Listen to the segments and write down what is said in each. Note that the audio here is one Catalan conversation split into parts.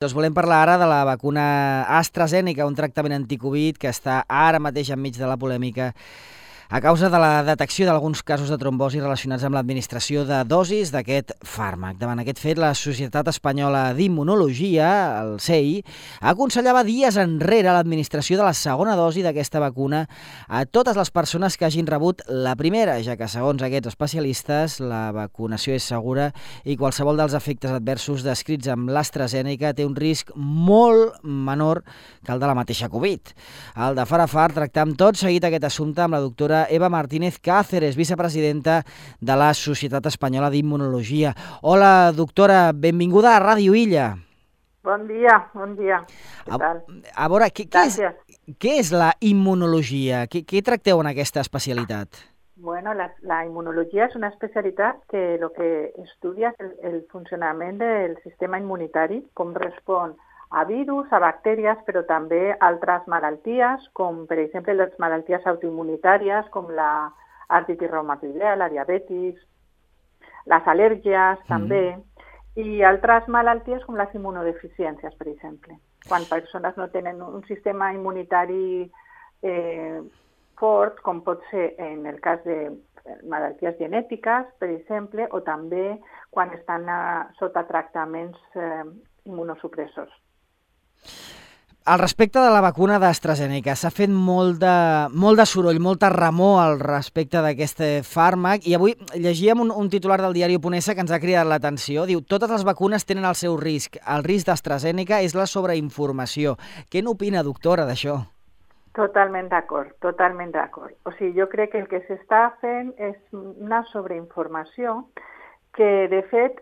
Doncs volem parlar ara de la vacuna AstraZeneca, un tractament anticovid que està ara mateix enmig de la polèmica a causa de la detecció d'alguns casos de trombosi relacionats amb l'administració de dosis d'aquest fàrmac. Davant aquest fet, la Societat Espanyola d'Immunologia, el CEI, aconsellava dies enrere l'administració de la segona dosi d'aquesta vacuna a totes les persones que hagin rebut la primera, ja que, segons aquests especialistes, la vacunació és segura i qualsevol dels efectes adversos descrits amb l'AstraZeneca té un risc molt menor que el de la mateixa Covid. El de Farafar tractam tot seguit aquest assumpte amb la doctora Eva Martínez Cáceres, vicepresidenta de la Societat Espanyola d'Immunologia. Hola, doctora, benvinguda a Ràdio Illa. Bon dia. Què tal? A veure, què és la immunologia? Què tracteu en aquesta especialitat? Bueno, la inmunologia és una especialitat que el que estudia és el funcionament del sistema immunitari, com respon a virus, a bactèries, però també altres malalties, com per exemple les malalties autoimmunitàries, com l'artritis reumatoidea, la diabetis, les al·lèrgies també, i altres malalties com les immunodeficiències, per exemple. Quan persones no tenen un sistema immunitari fort, com pot ser en el cas de malalties genètiques, per exemple, o també quan estan sota tractaments immunosupressors. Al respecte de la vacuna d'AstraZeneca, s'ha fet molt de soroll, molta remor al respecte d'aquest fàrmac, i avui llegíem un titular del diari Oponesa que ens ha cridat l'atenció. Diu, totes les vacunes tenen el seu risc. El risc d'AstraZeneca és la sobreinformació. Què n'opina, doctora, d'això? Totalment d'acord. O sigui, jo crec que el que s'està fent és una sobreinformació que, de fet,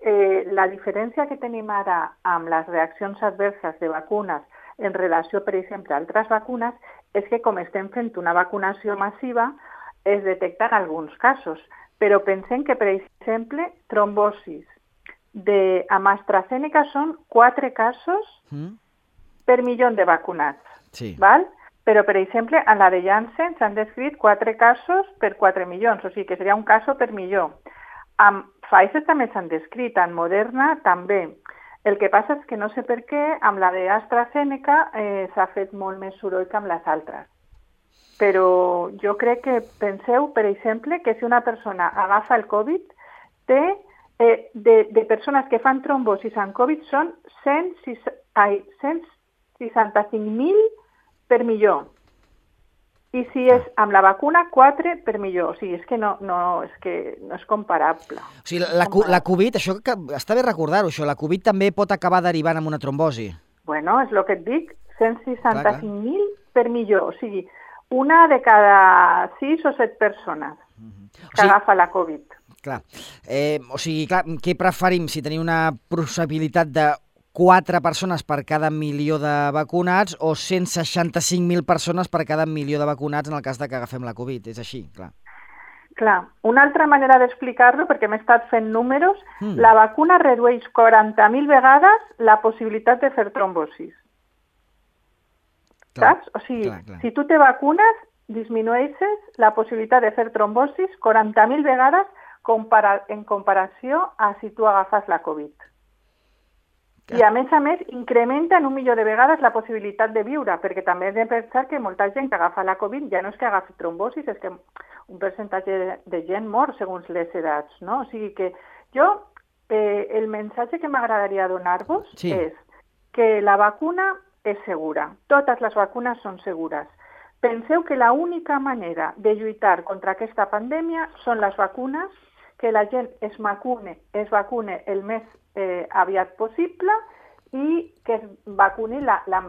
la diferència que tenim ara amb les reaccions adverses de vacunes en relació, per exemple, a altres vacunes, és que com estem fent una vacunació massiva, es detecten alguns casos. Però pensem que, per exemple, trombosis amb AstraZeneca són 4 casos per milió de vacunats. Sí. Val? Però, per exemple, en la de Janssen s'han descrit 4 casos per 4 milions, o sigui que seria un cas per milió. Amb Pfizer també s'han descrit, en Moderna també. El que passa és que no sé per què amb la d'AstraZeneca s'ha fet molt més soroll que amb les altres. Però jo crec que penseu, per exemple, que si una persona agafa el Covid, de persones que fan trombosis amb Covid són 165.000 per milió. I si és amb la vacuna, 4 per milió. O sigui, és que no és comparable. O sigui, la Covid, això que està bé recordar-ho, això, la Covid també pot acabar derivant en una trombosi. Bueno, és el que et dic, 165.000 per milió. O sigui, una de cada 6 o 7 persones que agafa la Covid. Clar. O sigui, què preferim? Si tenim una possibilitat de 4 persones per cada milió de vacunats o 165.000 persones per cada milió de vacunats en el cas de que agafem la Covid. És així, clar. Clar. Una altra manera d'explicar-lo, perquè m'he estat fent números, la vacuna redueix 40.000 vegades la possibilitat de fer trombosis. Saps? O sigui, si tu te vacunes, disminueixes la possibilitat de fer trombosis 40.000 vegades en comparació a si tu agafes la Covid. I, a més, incrementa en 1 milió de vegades la possibilitat de viure, perquè també hem de pensar que molta gent que agafa la Covid ja no és que agafi trombosis, és que un percentatge de gent mor segons les edats, no? O sigui que el missatge que m'agradaria donar-vos és que la vacuna és segura. Totes les vacunes són segures. Penseu que l'única manera de lluitar contra aquesta pandèmia són les vacunes, que la gent es vacune el més aviat possible i que es vacuni la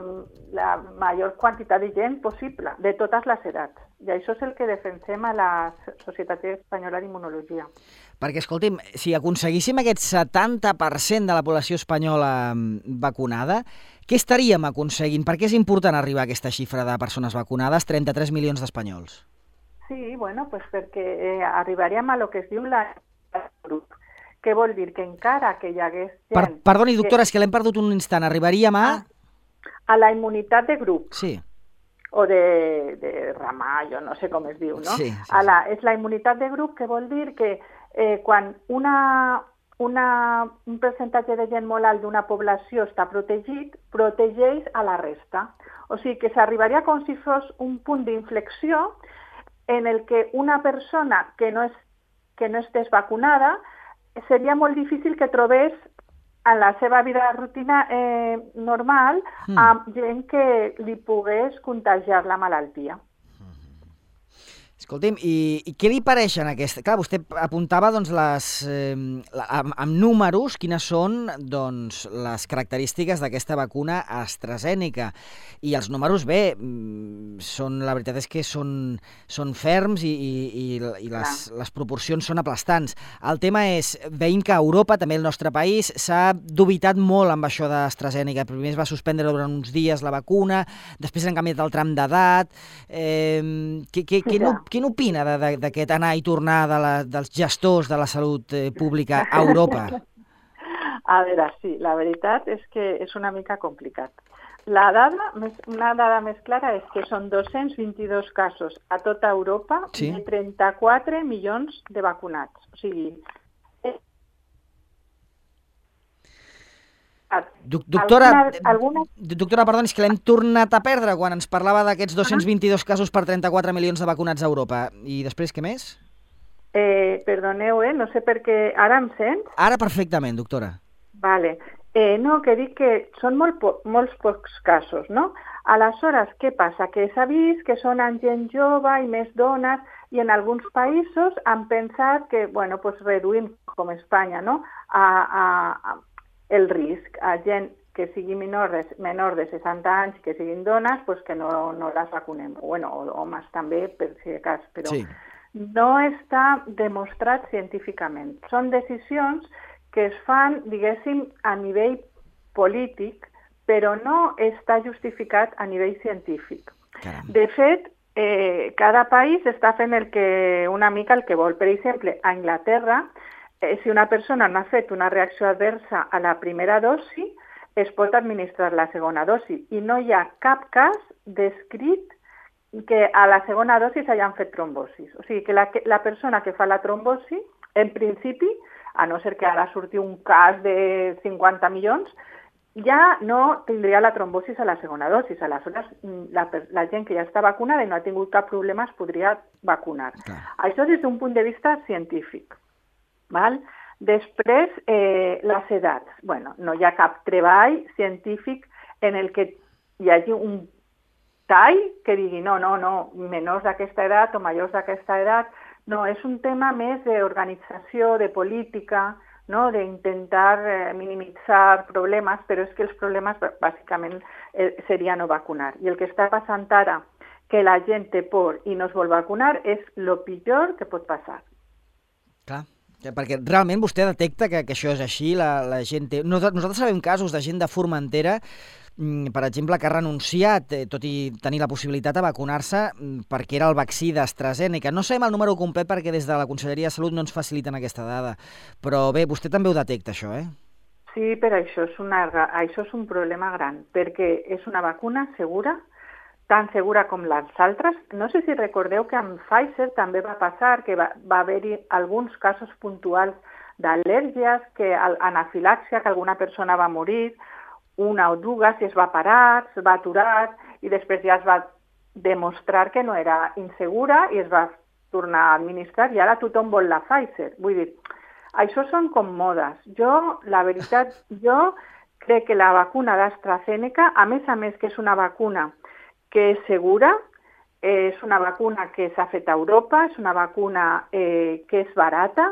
major quantitat de gent possible, de totes les edats. I això és el que defensem a la Societat Espanyola d'Immunologia. Perquè, escolti'm, si aconseguíssim aquest 70% de la població espanyola vacunada, què estaríem aconseguint? Per què és important arribar a aquesta xifra de persones vacunades, 33 milions d'espanyols? Sí, bueno, pues perquè arribaríem a lo que es diu la grup. Què vol dir? Que encara que hi hagués gent... Perdoni, doctora, és que l'hem perdut un instant. Arribaríem a... A la immunitat de grup. Sí. O de ramà, jo no sé com es diu, no? Sí. És la immunitat de grup, que vol dir que quan un percentatge de gent molt alt d'una població està protegit, protegeix a la resta. O sigui que s'arribaria com si fos un punt d'inflexió en el que una persona que no estés vacunada seria molt difícil que trobés en la seva vida rutina normal amb gent que li pogués contagiar la malaltia. Escolti'm, i què li pareixen aquestes? Clar, vostè apuntava doncs, amb números quines són doncs, les característiques d'aquesta vacuna AstraZeneca. I els números, bé, la veritat és que són ferms i les proporcions són aplastants. El tema és, veiem que a Europa, també el nostre país, s'ha dubitat molt amb això d'AstraZeneca. Primer es va suspendre durant uns dies la vacuna, després han canviat el tram d'edat. Què n'opina d'aquest anar i tornar dels gestors de la salut pública a Europa? A veure, sí, la veritat és que és una mica complicat. Una dada més clara és que són 222 casos a tota Europa de 34 milions de vacunats. O sigui, Doctora, perdoni, és que l'hem tornat a perdre quan ens parlava d'aquests 222 casos per 34 milions de vacunats a Europa. I després, què més? Perdoneu, no sé per què... Ara em sents? Ara perfectament, doctora. Vale. No, que dic que són molts pocs casos, no? Aleshores, què passa? Que s'ha vist que són en gent jove i més dones i en alguns països han pensat que, bueno, pues reduïm, com Espanya, no?, el risc a gent que sigui menor de 60 anys, que siguin dones, pues que no les vacunem. Bueno, homes també, per si de cas, però no està demostrat científicament. Són decisions que es fan, diguéssim, a nivell polític, però no està justificat a nivell científic. Caram. De fet, cada país està fent una mica el que vol. Per exemple, a Anglaterra, si una persona no ha fet una reacció adversa a la primera dosi, es pot administrar la segona dosi. I no hi ha cap cas descrit que a la segona dosi s'hagin fet trombosis. O sigui que la persona que fa la trombosi, en principi, a no ser que ara surti un cas de 50 milions, ja no tindria la trombosis a la segona dosis. Aleshores, la gent que ja està vacunada i no ha tingut cap problema es podria vacunar. Clar. Això des d'un punt de vista científic. Val? Després, les edats. Bueno, no hi ha cap treball científic en el que hi hagi un tall que digui no, menors d'aquesta edat o majors d'aquesta edat. No, és un tema més d'organització, de política, no? D'intentar minimitzar problemes, però és que els problemes bàsicament seria no vacunar. I el que està passant ara, que la gent té por i no es vol vacunar, és el pitjor que pot passar. Clar. Perquè realment vostè detecta que això és així, la gent té... Nosaltres sabem casos de gent de Formentera, per exemple, que ha renunciat, tot i tenir la possibilitat de vacunar-se, perquè era el vaccí d'AstraZeneca. No sabem el número complet perquè des de la Conselleria de Salut no ens faciliten aquesta dada. Però bé, vostè també ho detecta, això, eh? Sí, però això és un problema gran, perquè és una vacuna segura, tan segura com les altres. No sé si recordeu que amb Pfizer també va passar que va haver-hi alguns casos puntuals d'al·lèrgies, anafilàxia, que alguna persona va morir, una o dues, i es va parar, es va aturar, i després ja es va demostrar que no era insegura i es va tornar a administrar, i ara tothom vol la Pfizer. Vull dir, això són com modes. La veritat, jo crec que la vacuna d'AstraZeneca, a més que és una vacuna que és segura, és una vacuna que s'ha fet a Europa, és una vacuna que és barata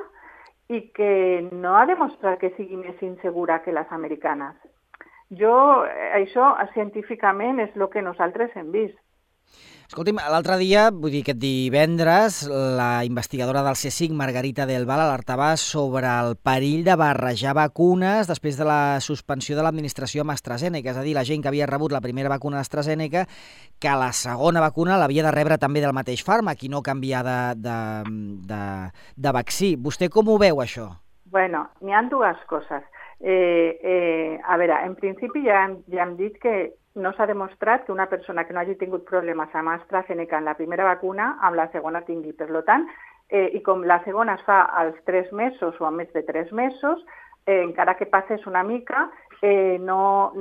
i que no ha demostrat que sigui més insegura que les americanes. Això científicament és el que nosaltres hem vist. Escolti'm, l'altre dia, vull dir aquest divendres, la investigadora del CSIC, Margarita del Val, alertava sobre el perill de barrejar vacunes després de la suspensió de l'administració amb AstraZeneca, és a dir, la gent que havia rebut la primera vacuna d'AstraZeneca, que la segona vacuna l'havia de rebre també del mateix fàrmac i no canviar de vaccí. Vostè com ho veu, això? Bueno, n'hi ha dues coses. A veure, en principi ja hem dit que no s'ha demostrat que una persona que no hagi tingut problemes amb AstraZeneca en la primera vacuna, amb la segona tingui. Per tant, i com la segona es fa als 3 mesos o a més de 3 mesos, encara que passés una mica, no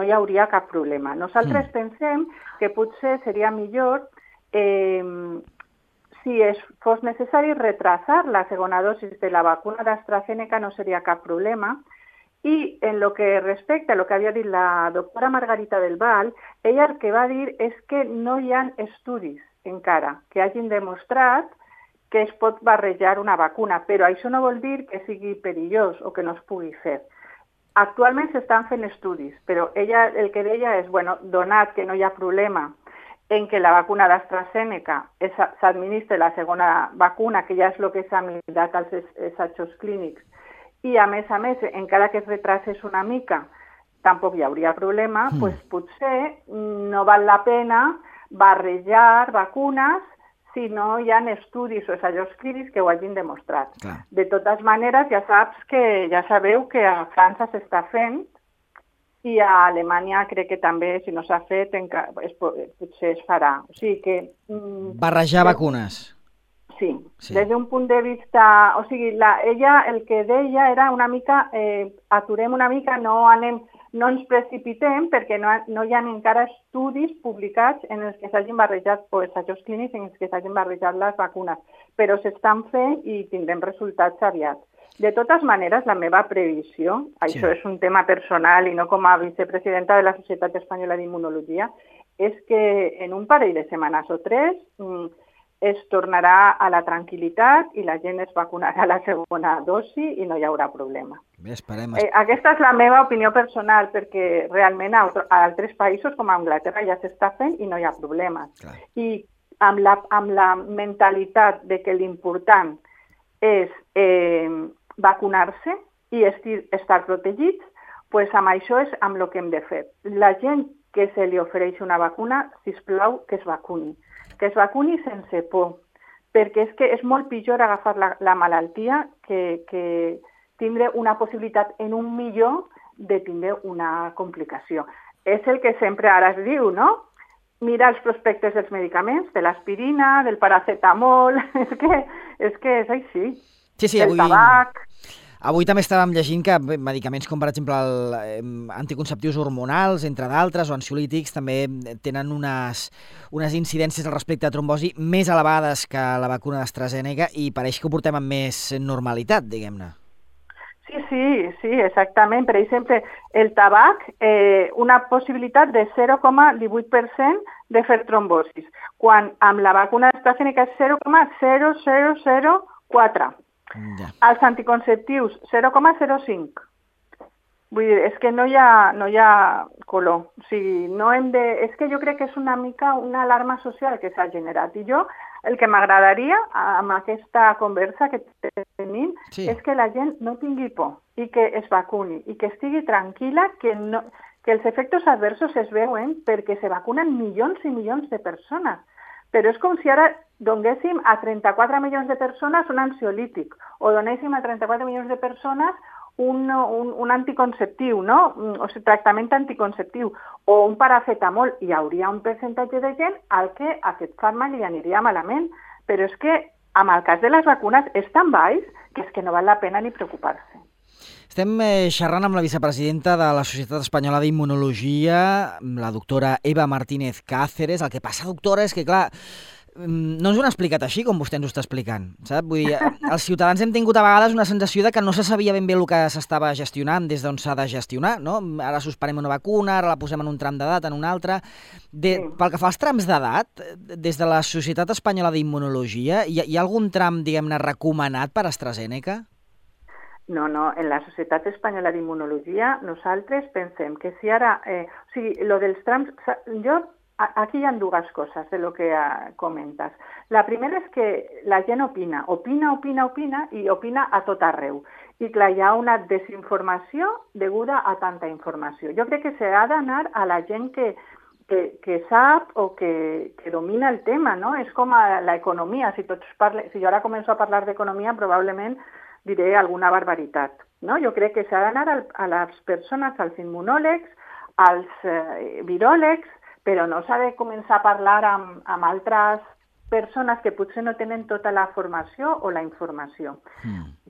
hi hauria cap problema. Nosaltres pensem que potser seria millor, si fos necessari, retrasar la segona dosi de la vacuna d'AstraZeneca, no seria cap problema. I en lo que respecta a lo que havia dit la doctora Margarita del Val, ella el que va dir és que no hi ha estudis encara que hagin demostrat que es pot barrejar una vacuna, però això no vol dir que sigui perillós o que no es pugui fer. Actualment s'estan fent estudis, però ella el que deia és, bueno, donat que no hi ha problema en que la vacuna d'AstraZeneca s'administra la segona vacuna, que ja és el que s'ha mirat als assajos clínics, i a més, encara que es retrasés una mica, tampoc hi hauria problema, doncs potser no val la pena barrejar vacunes si no hi ha estudis o assajos clínics que ho hagin demostrat. Clar. De totes maneres, ja sabeu que a França s'està fent i a Alemanya crec que també, si no s'ha fet, potser es farà. O sigui que... Barrejar vacunes. Sí, des d'un punt de vista... O sigui, ella el que deia era una mica, aturem una mica, no ens precipitem perquè no hi ha encara estudis publicats en els que s'hagin barrejat, o assajos clínics en els que s'hagin barrejat les vacunes, però s'estan fent i tindrem resultats aviat. De totes maneres, la meva previsió, això és un tema personal i no com a vicepresidenta de la Societat Espanyola d'Immunologia, és que en un parell de setmanes o 3 es tornarà a la tranquil·litat i la gent es vacunarà a la segona dosi i no hi haurà problema. Bé, esperem. Aquesta és la meva opinió personal, perquè realment a altres països com a Anglaterra ja s'està fent i no hi ha problemes. Clar. I amb la mentalitat de que l'important és vacunar-se i estar protegits, doncs amb això és amb el que hem de fer. La gent que se li ofereix una vacuna, sisplau, que es vacuni sense por, perquè és que és molt pitjor agafar la malaltia que tindre una possibilitat en 1 milió de tindre una complicació. És el que sempre ara es diu, no? Mira els prospectes dels medicaments, de l'aspirina, del paracetamol, és que és així. Sí, del tabac... Avui també estàvem llegint que medicaments com, per exemple, anticonceptius hormonals, entre d'altres, o ansiolítics, també tenen unes incidències al respecte a trombosi més elevades que la vacuna d'AstraZeneca i pareix que ho portem amb més normalitat, diguem-ne. Sí, exactament. Per exemple, el tabac, una possibilitat de 0,18% de fer trombosis, quan amb la vacuna d'AstraZeneca és 0,0004%. Ja. Els anticonceptius, 0,05. Vull dir, és que no hi ha color. O sigui, és que jo crec que és una mica una alarma social que s'ha generat. I jo, el que m'agradaria amb aquesta conversa que tenim és que la gent no tingui por i que es vacuni i que estigui tranquil·la, que els efectes adversos es veuen perquè se vacunen milions i milions de persones. Però és com si ara donéssim a 34 milions de persones un ansiolític o donéssim a 34 milions de persones un anticonceptiu, no? O sigui, tractament anticonceptiu o un paracetamol. Hi hauria un percentatge de gent al que aquest fàrmac li aniria malament. Però és que amb el cas de les vacunes és tan baix que és que no val la pena ni preocupar-se. Estem xerrant amb la vicepresidenta de la Societat Espanyola d'Immunologia, la doctora Eva Martínez Cáceres. El que passa, doctora, és que, clar, no ens ho han explicat així, com vostè ens ho està explicant, sap? Vull dir, els ciutadans hem tingut a vegades una sensació de que no se sabia ben bé el que s'estava gestionant des d'on s'ha de gestionar, no? Ara suspendrem una vacuna, ara la posem en un tram d'edat, en un altre... Pel que fa als trams d'edat, des de la Societat Espanyola d'Immunologia, hi ha algun tram, diguem-ne, recomanat per AstraZeneca? No, en la Societat Espanyola d'Immunologia nosaltres pensem que si ara... o sigui, lo dels trams... Aquí hi ha dues coses de lo que comentes. La primera és que la gent opina i opina a tot arreu. I clar, hi ha una desinformació deguda a tanta informació. Jo crec que s'ha d'anar a la gent que sap o que domina el tema, no? És com a l'economia. Si jo ara començo a parlar d'economia, probablement diré alguna barbaritat, no? Jo crec que s'ha d'anar a les persones, als immunòlegs, als viròlegs, però no s'ha de començar a parlar amb altres persones que potser no tenen tota la formació o la informació.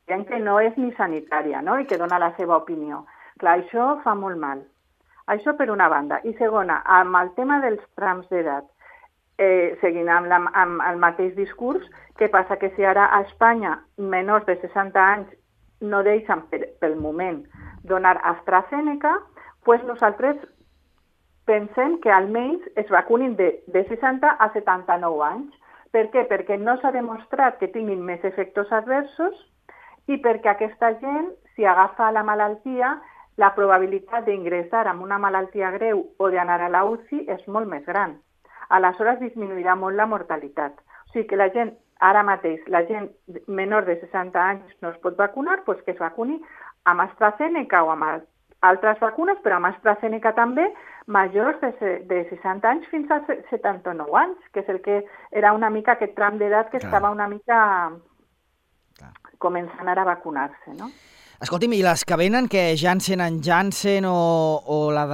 Gent que no és ni sanitària, no?, i que dona la seva opinió. Clar, això fa molt mal. Això per una banda. I segona, amb el tema dels trams d'edat, seguint amb el mateix discurs, què passa? Que si ara a Espanya menors de 60 anys no deixen pel moment donar AstraZeneca, doncs nosaltres pensem que almenys es vacunin de 60 a 79 anys. Per què? Perquè no s'ha demostrat que tinguin més efectes adversos i perquè aquesta gent, si agafa la malaltia, la probabilitat d'ingressar amb una malaltia greu o d'anar a la UCI és molt més gran. Aleshores disminuirà molt la mortalitat. O sigui que la gent, ara mateix, la gent menor de 60 anys no es pot vacunar, doncs que es vacuni amb AstraZeneca o amb altres vacunes, però amb AstraZeneca també, majors de 60 anys fins a 79 anys, que és el que era una mica aquest tram d'edat que estava una mica començant ara a vacunar-se, no? Escolti'm, i les que venen, que Janssen en Janssen o la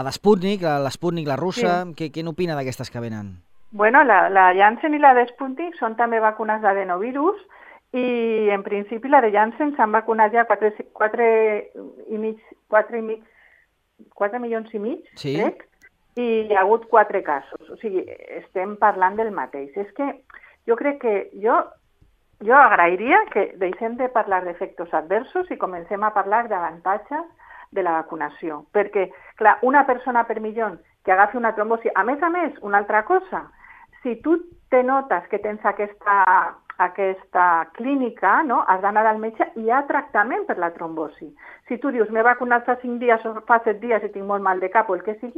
de Sputnik, l'Sputnik, la russa, sí. Què n'opina d'aquestes que venen? Bueno, la Janssen i la de Sputnik són també vacunes d'adenovirus i en principi la de Janssen s'han vacunat ja 4 milions i mig, sí. Crec, i hi ha hagut 4 casos. O sigui, estem parlant del mateix. És que jo crec que jo agrairia que deixem de parlar d'efectes adversos i comencem a parlar d'avantatges de la vacunació. Perquè, clar, una persona per milió que agafi una trombosi, a més, una altra cosa, si tu te notes que tens aquesta clínica, no? Has d'anar al metge i hi ha tractament per la trombosi. Si tu dius, m'he vacunat fa 5 dies o fa 7 dies i tinc molt mal de cap o el que sigui,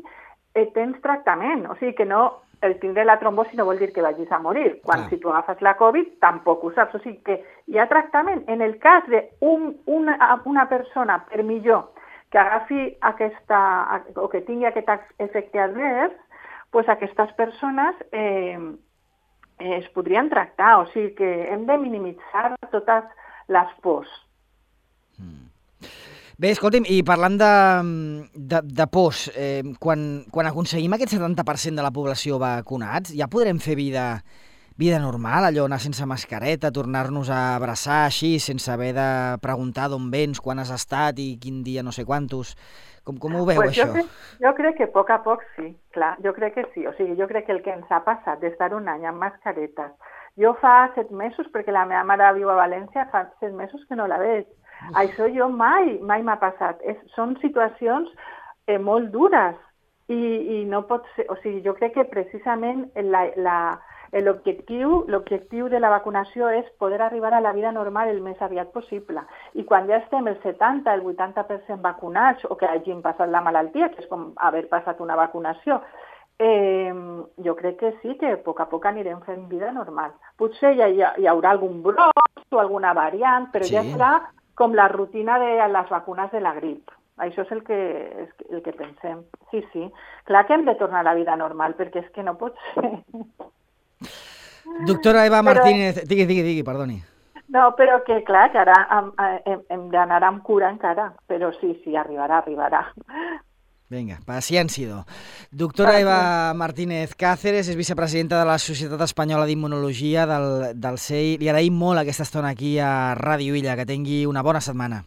tens tractament. O sigui que no, el tindre la trombosi no vol dir que vagis a morir. Quan si tu agafes la Covid tampoc ho saps. O sigui que hi ha tractament. En el cas d'una persona per milió que agafi o que tingui aquest efecte advers, doncs aquestes persones es podrien tractar, o sigui que hem de minimitzar totes les pors. Bé, escolti'm, i parlant de pors, quan aconseguim aquest 70% de la població vacunats, ja podrem fer vida normal, allò, anar sense mascareta, tornar-nos a abraçar així, sense haver de preguntar d'on vens, quan has estat i quin dia no sé quantos. Com ho veu, això? Jo crec que a poc sí, clar, jo crec que sí. O sigui, jo crec que el que ens ha passat d'estar un any amb mascaretes. Jo fa 7 mesos, perquè la meva mare viu a València, fa 7 mesos que no la veig. Això jo mai m'ha passat. Són situacions molt dures i no pot ser... O sigui, jo crec que precisament l'objectiu de la vacunació és poder arribar a la vida normal el més aviat possible. I quan ja estem el 70, el 80% vacunats o que hagin passat la malaltia, que és com haver passat una vacunació, jo crec que sí, que a poc anirem fent vida normal. Potser hi haurà algun brot o alguna variant, però ja serà com la rutina de les vacunes de la grip. Això és el que pensem. Sí. Clar que hem de tornar a la vida normal, perquè és que no pot ser. Doctora Eva Martínez, digui, perdoni. No, però que clar, que ara hem d'anar amb cura encara, però sí, arribarà. Vinga, paciència. Doctora Eva Martínez Cáceres és vicepresidenta de la Societat Espanyola d'Immunologia del CEI. Li agraïm molt aquesta estona aquí a Ràdio Illa. Que tingui una bona setmana.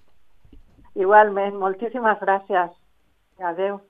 Igualment, moltíssimes gràcies. Adéu.